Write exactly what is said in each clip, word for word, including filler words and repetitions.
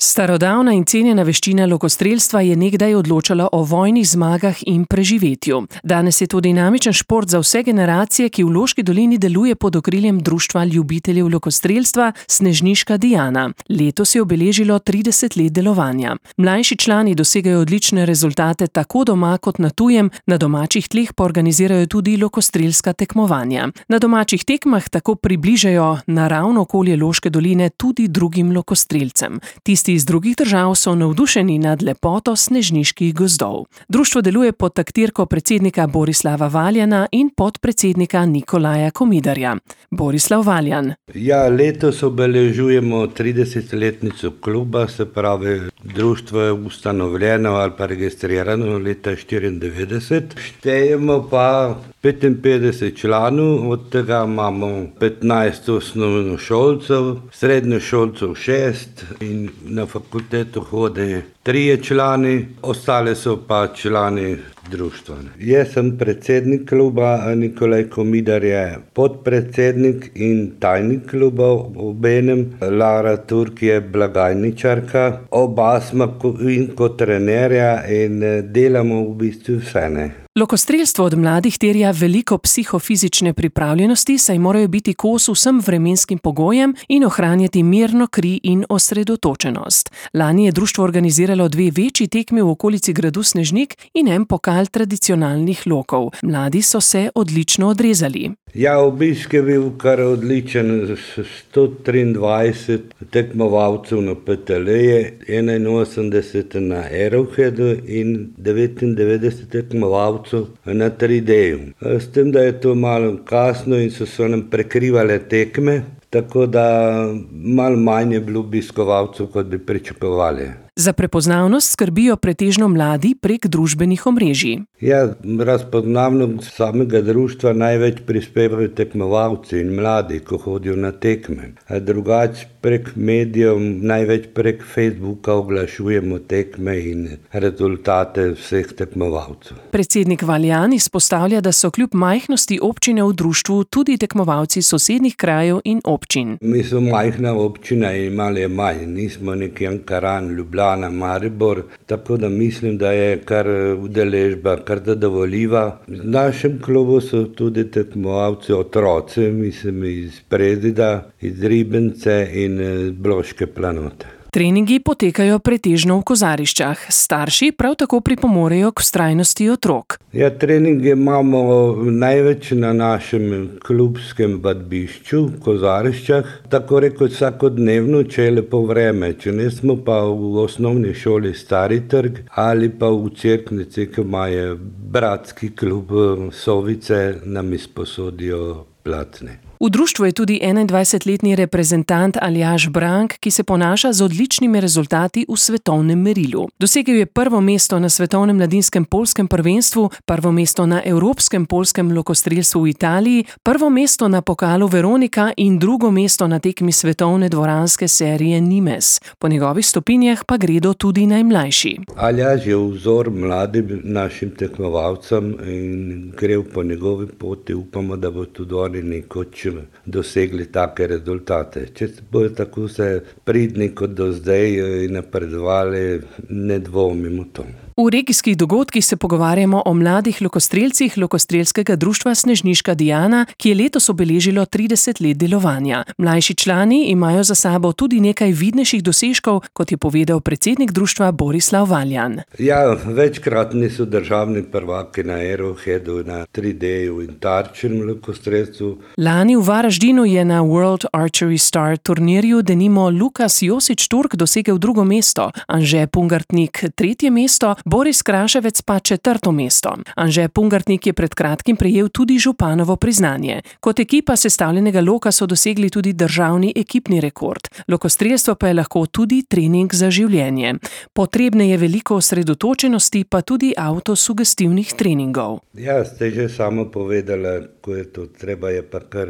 Starodavna in cenjena veščina lokostrelstva je nekdaj odločala o vojnih zmagah in preživetju. Danes je to dinamičen šport za vse generacije, ki v Loški dolini deluje pod okriljem Društva ljubiteljev lokostrelstva Snežniška Diana. Letos je obeležilo trideset let delovanja. Mlajši člani dosegajo odlične rezultate tako doma kot na tujem, na domačih tleh pa organizirajo tudi lokostrelska tekmovanja. Na domačih tekmah tako približajo naravno okolje Loške doline tudi drugim lokostrelcem. Tisti iz drugih držav so navdušeni nad lepoto snežniških gozdov. Društvo deluje pod taktirko predsednika Borislava Valjana in podpredsednika Nikolaja Komidarja. Borislav Valjan. Ja, letos obeležujemo tridesetletnico kluba, se pravi, društvo je ustanovljeno ali pa registrirano leta štiriindevetdeset. Štejemo pa petinpetdeset članov, od tega imamo petnajst osnovnošolcev, srednješolcev šest in na fakulteto hodi trije člani, ostale so pa člani društva. Jaz sem predsednik kluba, Nikolaj Komidar je podpredsednik in tajnik kluba obenem. Lara Turk je blagajničarka, oba smo in kot trenerja in delamo v bistvu vse, ne. Lokostrelstvo od mladih terja veliko psihofizične pripravljenosti, saj morajo biti kos vsem vremenskim pogojem in ohranjati mirno kri in osredotočenost. Lani je društvo organiziralo dve večji tekmi v okolici gradu Snežnik in en pokal tradicionalnih lokov. Mladi so se odlično odrezali. Ja, obisk je bil kar odličen, sto triindvajset tekmovalcev na P T L-je, enainosemdeset na Arrowheadu in devetindevetdeset tekmovalcev na tri D-ju. S tem, da je to malo kasno in so se nam prekrivale tekme, tako da malo manj je bilo obiskovalcev, kot bi pričakovali. Za prepoznavnost skrbijo pretežno mladi prek družbenih omrežij. Ja, razpoznavnost samega društva največ prispevajo tekmovalci in mladi, ko hodijo na tekme. Drugače prek medijev, največ prek Facebooka oglašujemo tekme in rezultate vseh tekmovalcev. Predsednik Valjan izpostavlja, da so kljub majhnosti občine v društvu tudi tekmovalci sosednjih krajev in občin. Mi smo majhna občina in malo je manj, nismo neki Ankaran, Ljubljana, Maribor, tako da mislim, da je kar udeležba kar zadovoljiva. V našem klubu so tudi tekmovalci otroci, mislim iz Prezida, iz Ribence in Bloške Planote. Treningi potekajo pretežno v kozariščah. Starši prav tako pripomorejo k vztrajnosti otrok. Ja, treninge imamo največ na našem klubskem vadbišču, v kozariščah, tako rekoč vsakodnevno, če je lepo vreme. Če ne, smo pa v osnovni šoli Stari trg ali pa v Cerknici, ki imajo bratski klub Sovice, nam izposodijo placne. V društvu je tudi enaindvajsetletni reprezentant Aljaž Brank, ki se ponaša z odličnimi rezultati v svetovnem merilu. Dosegel je prvo mesto na svetovnem mladinskem poljskem prvenstvu, prvo mesto na evropskem poljskem lokostrelstvu v Italiji, prvo mesto na pokalu Veronika in drugo mesto na tekmi svetovne dvoranske serije Nimes. Po njegovih stopinjah pa gredo tudi najmlajši. Aljaž je vzor mladim našim tekmovalcem in gre po njegovi poti, upamo, da bo tudi oni nekoč dosegli take rezultate. Če bodo tako se pridni kot do zdaj in napredovali, ne dvomimo to. V regijskih dogodkih se pogovarjamo o mladih lokostrelcih Lokostrelskega društva Snežniška Diana, ki je letos obeležilo trideset let delovanja. Mlajši člani imajo za sabo tudi nekaj vidnejših dosežkov, kot je povedal predsednik društva Borislav Valjan. Ja, večkratni so državni prvaki na Arrowheadu, na tri D-ju in tarčnem lokostrelstvu. Lani v Varaždinu je na World Archery Star turnirju denimo Lukas Josič Turk dosegel drugo mesto, Anže Pungartnik tretje mesto, Boris Kraševec pa četrto mesto. Anže Pungartnik je pred kratkim prejel tudi županovo priznanje. Kot ekipa sestavljenega loka so dosegli tudi državni ekipni rekord. Lokostrelstvo pa je lahko tudi trening za življenje. Potrebne je veliko osredotočenosti, pa tudi avtosugestivnih treningov. Ja, ste že samo povedala, ko je to treba, je pa kar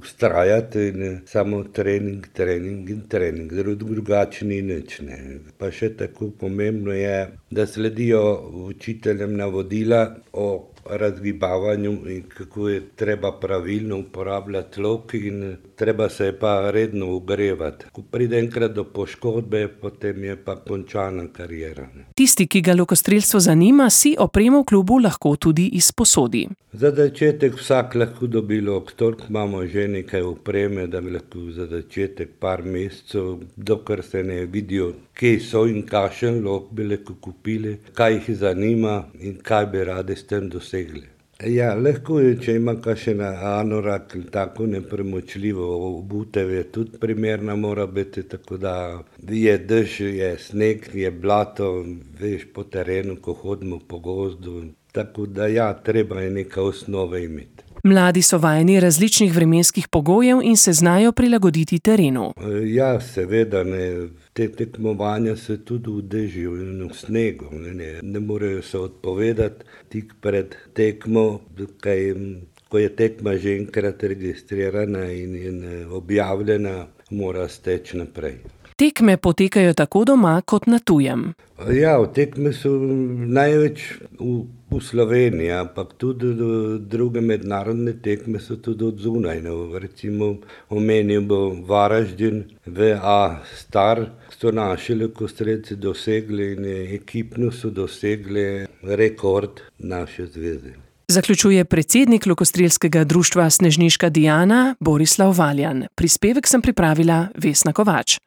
vztrajati in samo trening, trening in trening. Drugače ni nič, ne. Pa še tako pomembno je, da sledijo učiteljem navodila o razgibavanju in kako je treba pravilno uporabljati lok in treba se je pa redno ogrevati. Ko pride enkrat do poškodbe, potem je pa končana kariera. Tisti, ki ga lokostrelstvo zanima, si opremo v klubu lahko tudi izposodi. Za začetek vsak lahko dobi lok, toliko imamo že nekaj opreme, da bi lahko za začetek par mesecev, dokler se ne vidijo, kje so in kakšen lok bi lahko kupili, kaj jih zanima in kaj bi radi s tem dosegli. Ja, lahko je, če ima kakšen anorak in tako nepremočljivo obutev, je tudi primerna mora biti, tako da je dež, je sneg, je blato, veš, po terenu, ko hodimo po gozdu, tako da ja, treba je neka osnova imeti. Mladi so vajeni različnih vremenskih pogojev in se znajo prilagoditi terenu. Ja, seveda, ne, te tekmovanja se tudi v dežju in v snegu, ne, ne, ne morejo se odpovedati tik pred tekmo, kaj, ko je tekma že enkrat registrirana in, in objavljena, mora steči naprej. Tekme potekajo tako doma kot na tujem. Ja, tekme so največ v, v Sloveniji, ampak tudi druge mednarodne tekme so tudi od zunaj. No, recimo omenil bo Varaždin, V A Star, so naši lokostrelci dosegli in ekipno so dosegli rekord naše zveze. Zaključuje predsednik Lokostrelskega društva Snežniška Diana Borislav Valjan. Prispevek sem pripravila Vesna Kovač.